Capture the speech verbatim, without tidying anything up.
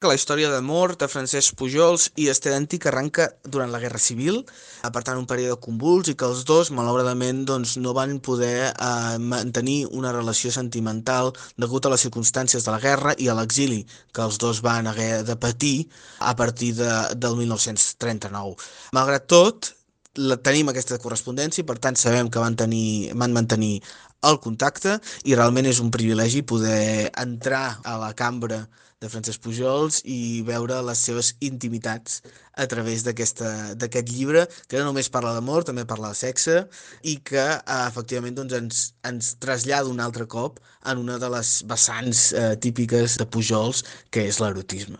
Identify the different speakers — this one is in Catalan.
Speaker 1: que la història d'amor de Francesc Pujols i Esther Antich arranca durant la Guerra Civil, eh, per tant un període convuls i que els dos malauradament doncs, no van poder eh, mantenir una relació sentimental degut a les circumstàncies de la guerra i a l'exili que els dos van haver de patir a partir de, del mil nou-cents trenta-nou. Malgrat tot, la, tenim aquesta correspondència i per tant sabem que van, tenir, van mantenir el contacte i realment és un privilegi poder entrar a la cambra de Francesc Pujols i veure les seves intimitats a través d'aquesta d'aquest llibre, que no només parla d'amor, també parla de sexe, i que eh, efectivament doncs, ens, ens trasllada un altre cop en una de les vessants eh, típiques de Pujols, que és l'erotisme.